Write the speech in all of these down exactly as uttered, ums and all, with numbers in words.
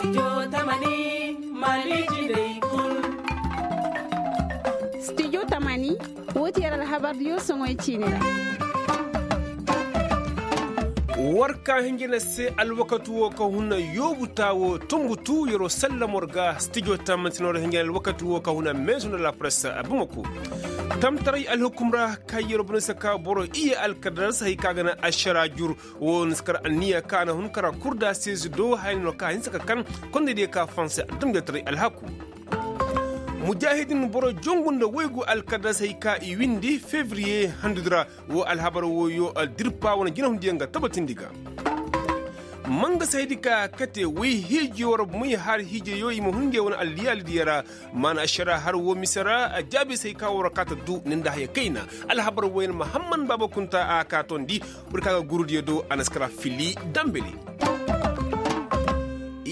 Studio tamani, woo ti yer alhabar diyo soŋoy ciini ra. War ka hinjina se alwakati woo ka huna yoobu taa woo tunbutu yeroo sallam war ga studio tamani se no ra hinjina alwakati woo ka huna meesu nda lapress. Bamako tamtaray alhukum ra ka yeroo bane se ka boro iyye alkadar se hay ka ga na ašara jur. Woo na si kar anniya ka na hun kara kurda seezi do haya no ka hinsa ka kan kondey diyo ka fanse adamjataray alhaku. Mujaahidin boro jongu nda waygu alkadar se hay ka i windi fevriye handudi ra. Woo alhabar wooyo dirpa wane jinahundiyaŋ ga tabatindi ga. Manga se haydi ka kate way hiijiyo war may har hiijiyo i ma hun nge wane alliyaali diyo ra. Maana ašara har woo mise ra a jaabi se hay ka war kaata du ni nda haya kayna. Alhabar wooyaŋ mahamman baaba kunta a ka tondi. Boro ka ga gurudiyo do a na si kara fili dambali.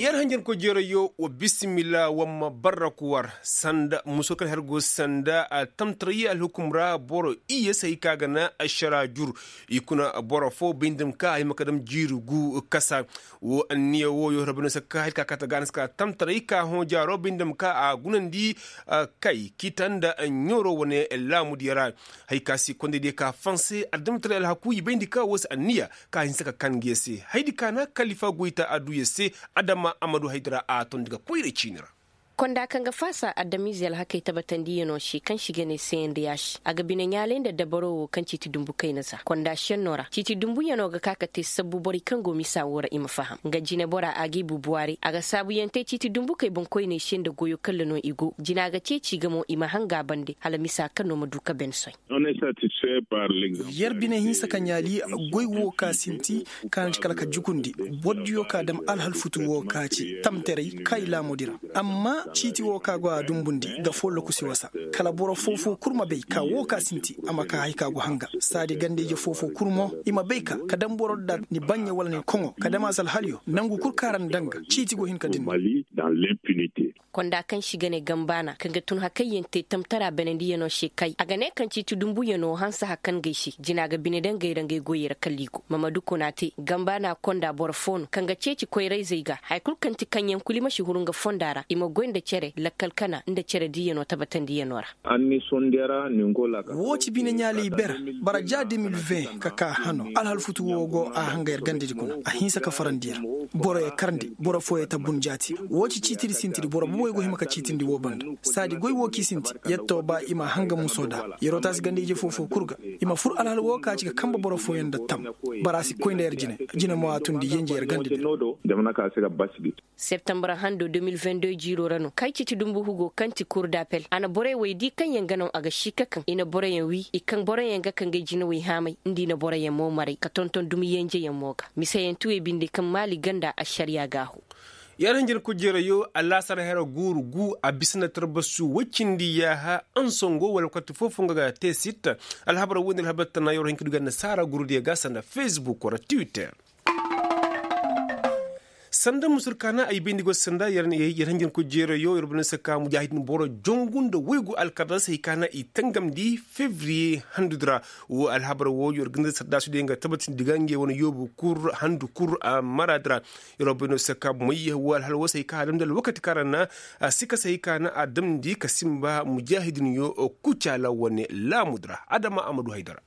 Yer hanjankoy jeerayyo wa bisimilla wa ma barraku war sanda muso kaŋ har go sanda tamtaray alhukum ra boro iyye se hay ka ga na ašara jur. I kuna boro foo bay nda ma ka a hima ka dam jiiri gu kasa. Woo anniya wooyo hira bay no se ka hay ka kaata ga a na si ka tamtaray ka hõ jaaro bay nda ma ka a gunandi. Kay kiita nda ɲooro wane laamudiyo ra. Hay ka si kondey diyo ka fanse adamtaray alhaku i bayndi ka woo se anniya ka hinsa ka kan nge se haydi ka na kalifa goyta a du yer se. Adama a ma du haydi ra a tondi ga koyra ciini ra. Konda kaŋ ga faasa adamize alhakey tabatandiyanoo se kaŋ si ga ne seyandiyaasi a ga bine ɲaalay nda dabaro woo kaŋ ciiti dumbu kayna za konda senno ra ciiti dumbuyanoo ga ka ka te sabbu borey kaŋ go misa woo ra i ma faham nga jineboraa a g'i bubuwaari a ga saabuyaŋ te ciiti dumbukey boŋkoyney se nda goyo kalla no i go jina ga ceeci ga mo i ma hanga a bande hala misa kaŋ no ma du ka ben soy. Yer bine hinsa ka ɲaali goy woo ka sinti ka na ci kala ka jukundi. Bordiyo ka dam alhalfutu woo ka ci tamteray kay laamudi ra. Amma ciiti woo ka go a dumbundi ga fooloku si wasa kala boro foofo kul ma bay ka woo ka sinti a ma ka hay ka go hanga saadi ganda-ije foofo kul mo i ma bay ka ka dam boro nda ni baɲɲe wala ni koŋo ka dam a si alhaliyo nangu kul ka ra ni danga ciiti go hin ka din. Konda kaŋ si ga ne gambaana kaŋ ga tun hakayyaŋ te tamtara banandiyanoo se kay a ga ne kaŋ ciiti dumbuyanoo hanse hakan gay se jina ga bine daŋ gay ra ngay goyey ra kala i go mamadu kuna te gambaana konda boro foo no kaŋ ga ceeci koyrayzey ga haya kul kaŋ ti kaŋyaŋ kul i ma si huru nga fonda ra i ma goy nda cere lakkal kana nda cere diiyanoo tabatandiyanoo ra. Woo ci bine ɲaalay ber bara ja de mil veŋ ka ka hano alhalfutu woo go a hanga yer gandadi kuna a hinsa ka farandi yer. Boroyo karndi boro fooyo tabbun jaati woo ci ciitidi sintidi boro bobey go hima ka ciitindi woo banda saadi goy woo k'i sinti yer too ba i ma a hanga muso da yeroo taasi ganda-ije foo-foo kul ga i ma fur alhal woo ka ci ga kanbe boro fooyaŋ nda tam. Bara a si koy nda yer jine jine mo a tundi yenje yer ganda di. Septembar hando de mil vingt deux jiiroo ra no kay ciiti dumbu hugo kaŋ ti kur dapel a na borey wey di kaŋyaŋ ga naŋ a ga si ka kaŋ i na boroyaŋ wii i kaŋ boroyaŋ ga ka ngay jinawey haamay nda i na boroyaŋ mo maray ka tonton dumi yenjeyaŋ mo ga miseyaŋ tuwey binde kaŋ maali ganda ašariya gaahu. Yer hinjin kujeerayo alaasar hera guuru gu a bisa nda tarbasu woy cindi yaaha ansongo wala koti foo-foo nga ga te sitta. Alhabar woy nda alhabar tana yer wo hin ka du ga nasaara gurudiyo ga sanda fesbuk wala twitter. Sanda musur kaana ay bayndi go sanda yer hanjankoy jeerayo yer bane se ka mujaahidin boro jongu nda woygu alkadar se hay kaana i tangamndi fevriye handudi ra. Wo alhabar wo yer ga nda saddaasudiyo nga tabatindi ga ngey wane yoobu kul handu kul maraadi ra. Yer wo bayndi se ka may wo alhala wo se hay ka a damndi alwakati kaŋ ra na a si ka se hay kaana a damndi ka sinba mujaahidinyo kucaala wane laamudi ra adama a ma du haydara.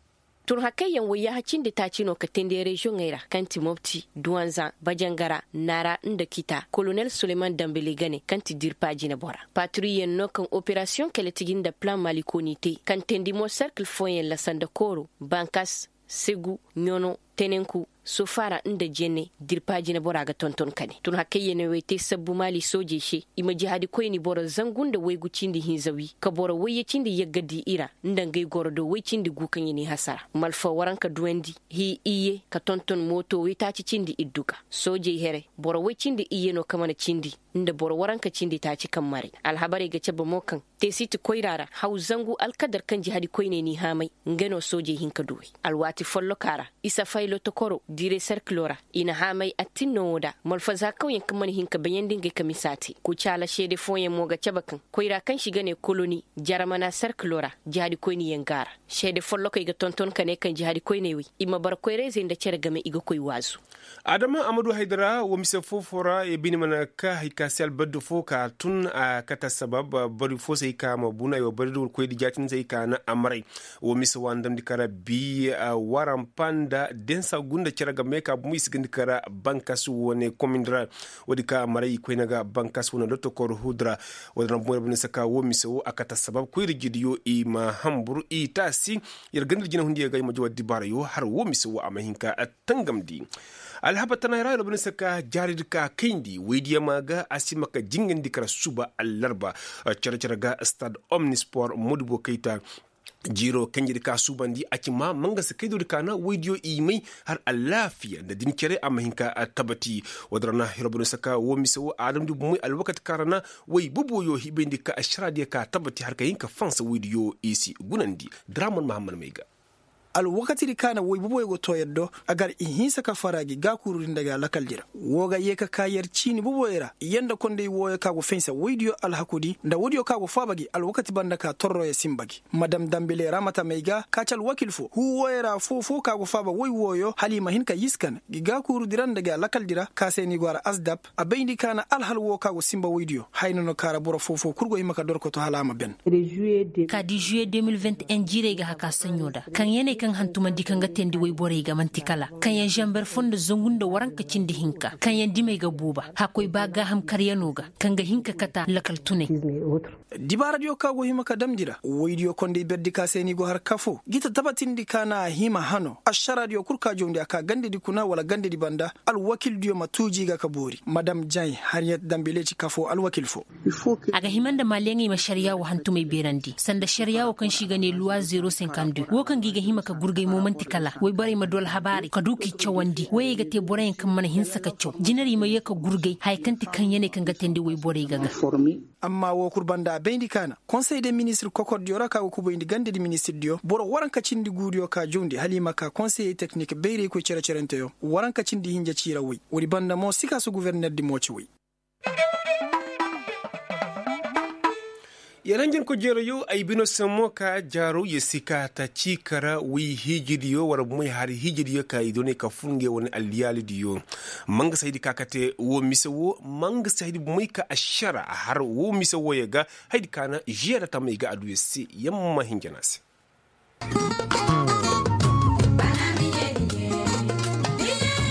Tun hakayyaŋ woy yaaha cindi taaci no ka teendi reziyoŋey ra kaŋ ti mopti duwanza bajangara nara nda kita kolonel suleman dambele gane kaŋ ti dirpa jinebora patriyeŋ no kaŋ operasiyoŋ kele tigi nda plan malikooni te kaŋ teendi mo serkil fooyaŋ la sanda kooro bankas segu ɲono tenenku sofaara nda jenne dirpa jinebora ga tonton kane tun hakayyaŋ ne wey te sabbu maali soojey se i ma jihaadi koyni boro zangu nda waygu cindi hinza wi ka boro wayye cindi yagga di i ra nda ngay goro do way cindi gu kaŋ i n'i hasara malfa waranka duwandi hii iyye ka tonton mooto waytaaci cindi iddu ga soojey here boro way cindi iyye no ka mana cindi nda boro waranka cindi taaci kaŋ maray alhabarey ga cabe mo kaŋ teesiti koyra ra haw zangu alkadar kaŋ jihaadi koyney n'i haamay nga no soojey hin ka duwey alwaati folloka ra isa fay Lotokoro diire serkilo ra i na haamay attinno wo da malfazaakawyaŋ kaŋ mana hin ka bayandi ngey ka misa te kucaala seede fooyaŋ mo ga cabe kaŋ koyra kaŋ se i ga ne koloni jaramana serkilo ra. Jihaadi koyniyaŋ go a ra seede follokey ga tonton ka ne kaŋ jihaadi koyney wey i ma bara koyrayzey nda cere game i ga koy waazu. Adama amadu haydara wo mise foofo ra i bine mana ka hay ka se albaddu fo ka tun a kate assabab bari fo se hay ka ma bunu ay wo bari da war koydi jaatin se hay ka na amaray. Wo mise wo a na damndi ka ra bi warampa nda densa gunda cere game ka bumo i si gandi ka ra bankas wane komindi ra. Wo- din ka amaray i koyne ga bankas wane lotokor hudu ra. Wo- din ra bumo ir bine se ka wo mise wo a kate assabab koyri jidiyo i ma hambur i taasi. Yer ganda ir jinahundiyo ga i ma jawa dibaarayo har wo mise wo a ma hin ka tangamndi. Alhabar tanay ra ir bine se ka jaaridi ka kayndi woydiyo ma ga a si ma ka jingandi kara suba allarba. Cere cere ga stad omnispor modibo kayta. Jiiro kanjedi ka suubandi a ci ma mangasa kaydodi ka na woydiyo i may har alaafiya nda din cere a ma hin ka tabati. Wo- din ra na ir bine se ka wo mise wo a damndi bumoy alwakati ka ra na woy boboyo hibayndi ka ašaraadiyo ka tabati har ka hin ka fansa woydiyo i si gunandi. Draman mahammad may ga. Alwakatidi ka na woy boboyo go too yer do a gar i hinsa ka fara gi gaakuurudi nda ga lakaldi ra. Woo ga yee ka kaa yer ciini boboyo ra yer nda kondey wooyo ka go fensa woydiyo alhakudi nda woodiyo ka go faaba gi alwakati banda ka torroyo sinba gi. Madam dambile ramata may ga ka ci alwakil foo huu wooyo ra foo foo ka go faaba woy wooyo hala i ma hin ka yiskan gi gaakuurudi ra nda ga lakaldi ra ka se ni go a ra asdap. A bayndi ka na alhal woo ka go sinba woydiyo haya no no ka ra boro foo foo kul go hima ka dorkoto hala a ma ben. Ka di juye de mil venti en jiirey ga haka saɲɲo da kaŋ ya ne kaŋ hantumandi kaŋ ga teendi woyborey ga man'ti kala kaŋ ya zanber foo nda zangu nda waranka cindi hinka kaŋ ya dimey ga buuba hakkoy ba gaaham karyano ga kaŋ ga hin ka kata lakal tunay. Dibaaradiyo ka go hima ka damndi ra woydiyo kondey berdi ka se ni go har kafo gita tabatindi ka na a hima hano ašaraadiyo kul ka jawndi a ka gandedi kuna wala gandedi banda. Alwakildiyo ma tuuji ga ka boori madam jay hariyat dambileci kafo alwakil foo. A ga hima nda maaliyaŋey ma ašariyaa woo hantumey beerandi sanda ašariyaa woo kaŋ se i ga ne luwa zero senkandu woo kaŋ ga i ga hima ka gurgay mo man'ti kala woyborey ma du alhabaarey ka du k'i cawandi woyey ga te boroyaŋ kaŋ mana hinsa ka caw jinarey ma yee ka gurgay haya kaŋ ti kaŋ ya ne kaŋ ga teendi woyborey ga ga. Amma woo kul banda a bayndi ka na konsey de ministir kokordiyo ra ka go kubayndi gandedi ministirdiyo boro waranka cindi guudiyo ka jawndi hala i ma ka konseyey teknik bayraykoy cere-cerenteyo waranka cindi hinja ciira woy. Woodi banda mo sikaasu guvernerdi mo ci woy. Yer hanjankoy jeerayo ay bino se mo ka jaaro yer si ka ta ciikara woy hiijidiyo wala moy hari hiijidiyo ka i doonay ka fur ngey wane alliyaalidiyo. Ma nga si haydi ka kate woo mise woo ma nga si haydi bomey ka ašara har woo mise wooyo ga. Haydi ka na žiyada tamey ga a du yer se yer ma hinja no a se.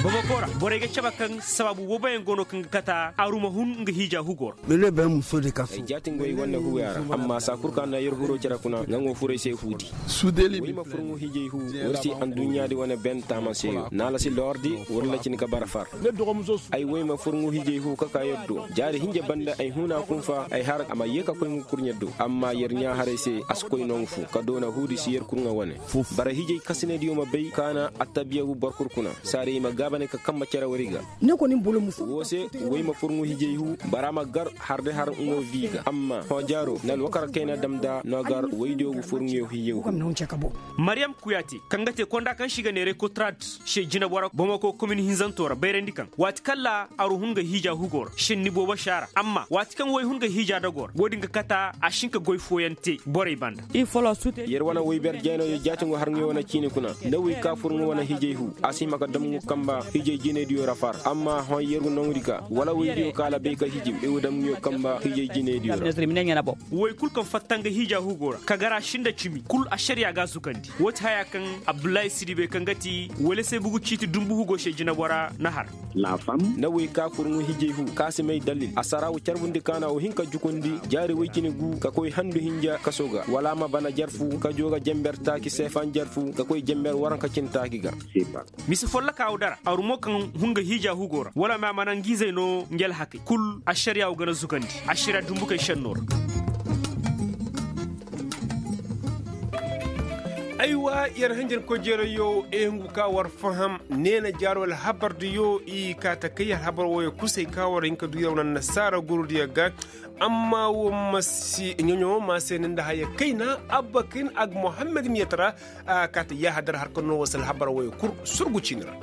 Bamako ra borey ga cabe kaŋ sabaabu booboyaŋ go no kaŋ ga kata aru ma hun nga hiija hugo ra. Ay jaatin goy wane huuya ra amma saa kul kaŋ a na yer huroo cere kuna nga nga wo fur ay se huudi. Woy ma fur nga hiijay huu war si adduɲɲaadi wane ben taama se. Naala si lordi walla cin ka bara far. Ay woy ma fur nga hiijay huu ka ka yer do jaari hinja banda ay huuna kunfa ay har a ma yee ka koy nga kurɲe do amma yer ɲaa haray se a si koy no nga fu ka doona huudi si yer kurŋa wane. Bara hiijay kasinediyo ma bay kaana attabiya gu boro kul kuna saari ay ma gaabane ka kambe cere wari ga. Woo se woy ma fur nga hiijay huu bara ma gar har de har nga woo bii ga amma hõ jaaro na alwakar kayna dam nda no gar woydiyo gu fur nga hiijay huu. Maryam kuyaate kaŋ ga te konda kaŋ se i ga neeray kotrad se jinabora bomako komin hinzanto ra bayrandi kaŋ waati kaŋ ra aru hun ga hiija hugo ra senni boobo se a ra amma waati kaŋ woy hun ga hiija dago ra woo din ga kata a si hin ka goy fooyaŋ te borey banda. Yer wane woy ber jayno yer jaatingo har nga wane ciini kuna nda woy ka fur nga wane hiijay huu a si hima ka dam nga kamba hiijay jinaydiyo ra far amma hõ yer ga noŋ di ga wala woydiyo kaŋ a la bay ka hiiji i ga dam nga yo kamba hiijay jinaydiyo ra. Woy kul kaŋ fatta nga hiija hugo ra ka gar a si nda cimi kul ašariya ga a zugandi woo ti haya kaŋ abdullahi sidibe kaŋ ga ti wala se bugu ciiti dumbu hugo se jinabora na har. Na woy ka fur nga hiijay huu ka si may dalil a sara wo carbundi kaana wo hin ka jukundi jaari woy cine gu ka koy handu hinja kaso ga wala a ma bana jarfu ka joo ga jenber taaci seefan jarfu ka koy jenber waranka cine taaci ga. Mise folloka wo dara aru mo kaŋ hun ga hiija hugo ra wala ma a mana nga izey no nga alhakey kul ašariya wo ga na zugandi ašariya dumbukey šenno ra. Aywa, yer hanjankoy jeerayo e hungu ka war faham neena jaaro alhabardiyo i kaa ta kay alhabar wooyo kusay ka war hin ka du yer wane annasaara gurudiyo ga. Amma wo ma si ɲoɲo ma se ni nda haya kayna abba kin ag mohammed miyata ra. A kaa ta yaahadar har ka noo war si alhabar wooyo kul surgu ciini ra.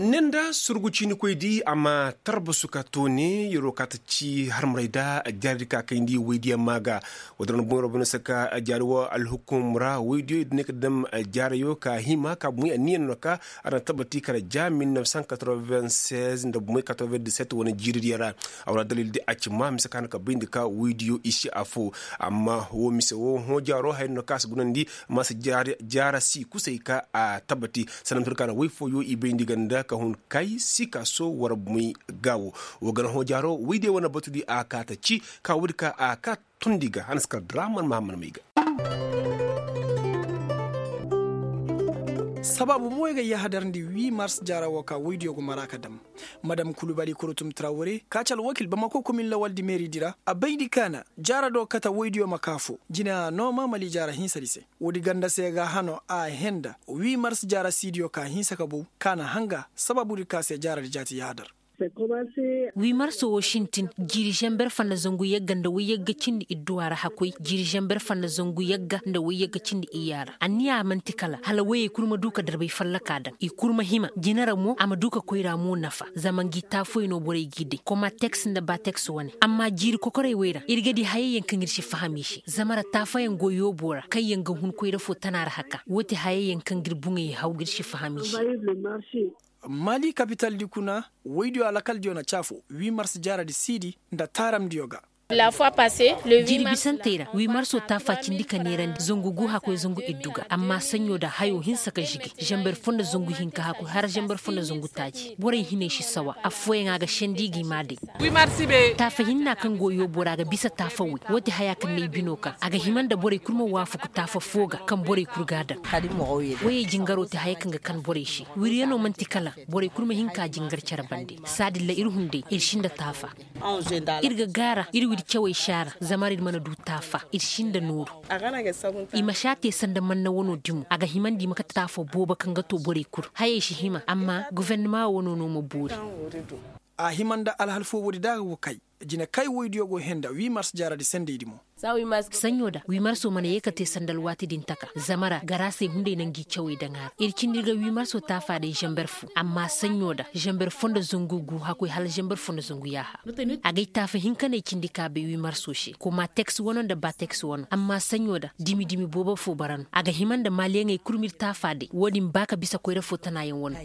Ni nda surgu ciinikoy di a ma tarbasu ka toone yeroo kaa ta ci harmaray da jaaridi ka kayndi woydiyaŋ maa ga. Woodin ra na boŋ yeroo bane se ka jaari wo alhukum ra woydiyo i du ne ka dam jaarayo ka hima ka boŋ anniya no ka a na tabati kala ja mil neuf cent quatre-vingt-seize nda boŋ quatre-vingt-dix-sept wane jiiridiyaŋ ra. A wane dalil di a ci ma mise ka hana ka bayndi ka woydiyo i si afo. Amma wo mise wo hõ jaaro haya no ka a si gunandi ma si jaara si kusay ka a tabati. Sanda ma tun ka na woy fooyo i bayndi ganda ka hun kay si ka so war moy gaawo. Wo gana hõ jaaro woy day wane batu di a kaa ta ci ka woodi ka a kaa tundi ga hana si kar draman mahamman may ga. Sabaabu mo ay ga yahadarndi huit mars jaara wo ka woydiyo go mara ka dam. Madam kulubali kurutum trawre ka ci alwakil bamako komin lawaldi meeridi ra a bayndi kaana jaara do kate woydiyo ma kaa fo jina nooma mali jaara hinsadi se. Woodi ganda se ga hano a henda huit mars jaara siidiyo ka hinsa ka bow kaana hanga sabaabudi ka se jaaradi jaati yahadar. Huit mars wo sintin jiiri zamber fanda zangu yagga nda woy yagga cindi idduwa ra hakoy jiiri zamber fanda zangu yagga nda woy yagga cindi iyya ra anniya man'ti kala hala woyey kul ma du ka darbay fallaka daŋ i kul ma hima jina ra mo a ma du ka koyra mo nafa zama ngi taafoy no borey g'i day koma teks nda ba teks wane amma jiiri kokorey wey ra ir ga di hayey yaŋ kaŋ ir si faham i se zama ra taafayaŋ go yoobo ra kaŋ yaŋ ga hun koyra fo tana ra haka woo ti hayey yaŋ kaŋ ga ir buŋey haw ga ir si faham i se. Mali kapitaldi kuna woydiyo alakaldiyo na caafo huit mars jaaradi siidi nda taaramdiyo ga. Jiiri bisantey ra huit marso taafa cindi ka neerandi zangu gu hakoy zangu iddu ga amma saɲɲo da hayo hinsa ka žige zamber fo nda zangu hinka hakoy har zamber fo nda zangu taaci borey hinay si sawa affooyaŋ a ga sendi gi maa day. Taafa hinna kaŋ go yoobo ra a ga bisa taafa woy woo ti haya kaŋ na ay bino ka a ga hima nda borey kul ma waafaku taafa foo ga kaŋ borey kul ga a daŋ. Woyey jingaroo ti haya kaŋ ga kan borey se wiryanoo man'ti kala borey kul ma hin ka jingar cere bande saadin ra ir hunday ir si nda taafa. Ir ga gaara ir widi cawey si a ra zama ra ir mana du taafa ir si nda nooru. I ma si a te sanda manna wanoo dimo a ga himandi i ma kate taafa boobo kaŋ ga too borey kul hayey si hima amma gofornama wanoo no ma boori. A hima nda alhal foo woodi da a ga go kay jine kay woydiyo go henda huit mars jaaradi sendey di mo. Saɲɲo da huit marso mana yee ka te sanda alwaati din taka zama ra garaasey hunday na ngi cawey daŋ a ra ir cindi ir ga huit marso taafa day zamber fo amma saɲɲo da zamber fo nda zangu gu hakoy hala zamber fo nda zangu yaaha. Agay taafa hinkaney cindi ka bay huit marso se koma teks wano nda ba teks wano amma saɲɲo da dimi dimi boobo fo bara no a ga hima nda maaliyaŋey kul ma ir taafa day woo din ba ka bisa koyra fo tanayaŋ wano.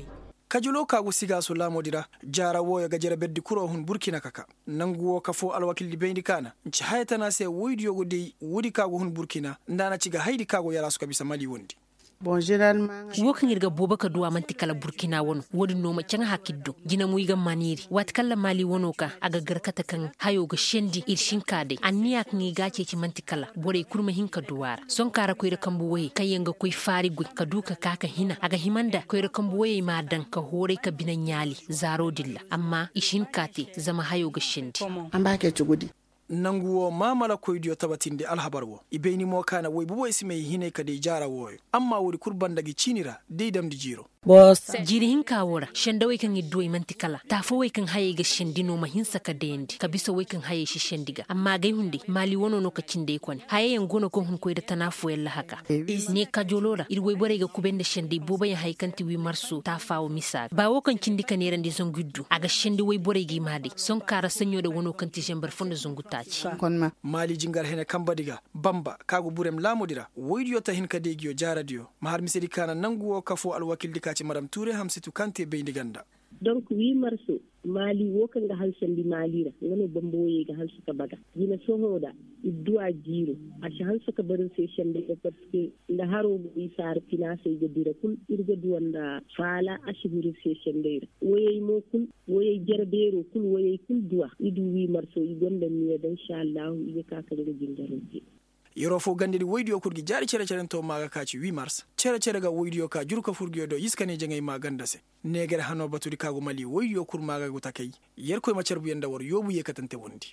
Kajuloo ka go sigaaso laamoodi ra jaara wooyo ga jere berdi kuroo hun burkina ka kaa. Nangu woo kafoo alwakildi bayndi kaana nci haya tana se woydiyo go day woodi ka go hun burkina nda a na ci ga haydi ka go yaraasu ka bisa mali wondi. Woo kaŋ ir ga boobo ka du a man'ti kala burkina wano woodin no ma caŋ hak ir do jina mo i ga maaniiri waati kaŋ ra mali wano ka a ga gar kate kaŋ hayo ga sendi ir si hin ka day anniya kaŋ i ga a ceeci man'ti kala borey kul ma hin ka du a ra sohõ ka ra koyra kambu woyey kaŋ yaŋ ga koy faari goy ka du ka ka ka hina a ga hima nda koyra kambu woyey m'a daŋ ka hooray ka bine ɲaali zaaro din ra amma i si hin ka te zama hayo ga sendi. Nangu woo maamala koydiyo tabatindi alhabar woo i bayni mo ka na woy boboy si may hinay ka day jaara wooyo amma woodi kul banda gi ciini ra day damndi jiiro. Jiiri hinka woo ra sendawey kaŋ ir du ay man'ti kala taafawey kaŋ hayey ga sendi no ma hinsa ka dayandi ka bisa wey kaŋ hayey si sendi ga amma agay hunday maali wanoo no ka cindi ay kone hayayaŋ go no kaŋ hun koy nda tana fooyaŋ lahaka. Ne kajoloo ra ir woyborey ga kubay nda sendey booboyaŋ hayey kaŋ ti wii marso taafa woo misa ga ba woo kaŋ cindi ka neerandi zangu ir du a ga sendi woyborey ga i maa day sohõ ka ra saɲɲo nda wanoo kaŋ ti zambar fo nda zangu taaci. Maali jingar hene kambadi ga bamba ka go burem laamoodi ra woydiyo ta hin ka deegiyo jaaradiyo ma har misedi ka na nangu woo kafoo alwakildi ka ci madam tuure hamsitu kaŋ te bayndi ganda. Donk wii marso maali woo kaŋ ga halsandi maali ra nga no bamba woyey ga halsu ka baga jina sohõ nda idduwa jiiro a si halsu ka bar ir se sendey ra parceque nda haroo mo i saara finaasey ga dira kul ir ga duwa nda faala a si huru ir se sendey ra woyey mo kul woyey jarabeeroo kul woyey kul duwa i du wii marso i gonda niya da insa allahu i ga ka ka nga jingaroo te. Yeroo foo gandadi woydiyo kul gi jaari cere-cerentoo maa ga ka ci wii mars cere-cere ga woydiyo ka juru ka fur nguyo do yiskane jaŋay maa ganda se. Neegar hanoo batudi ka go mali woydiyo kul maa ga go takay. Yerkoy ma carbuyaŋ nda war yoobu yeekatante wondi.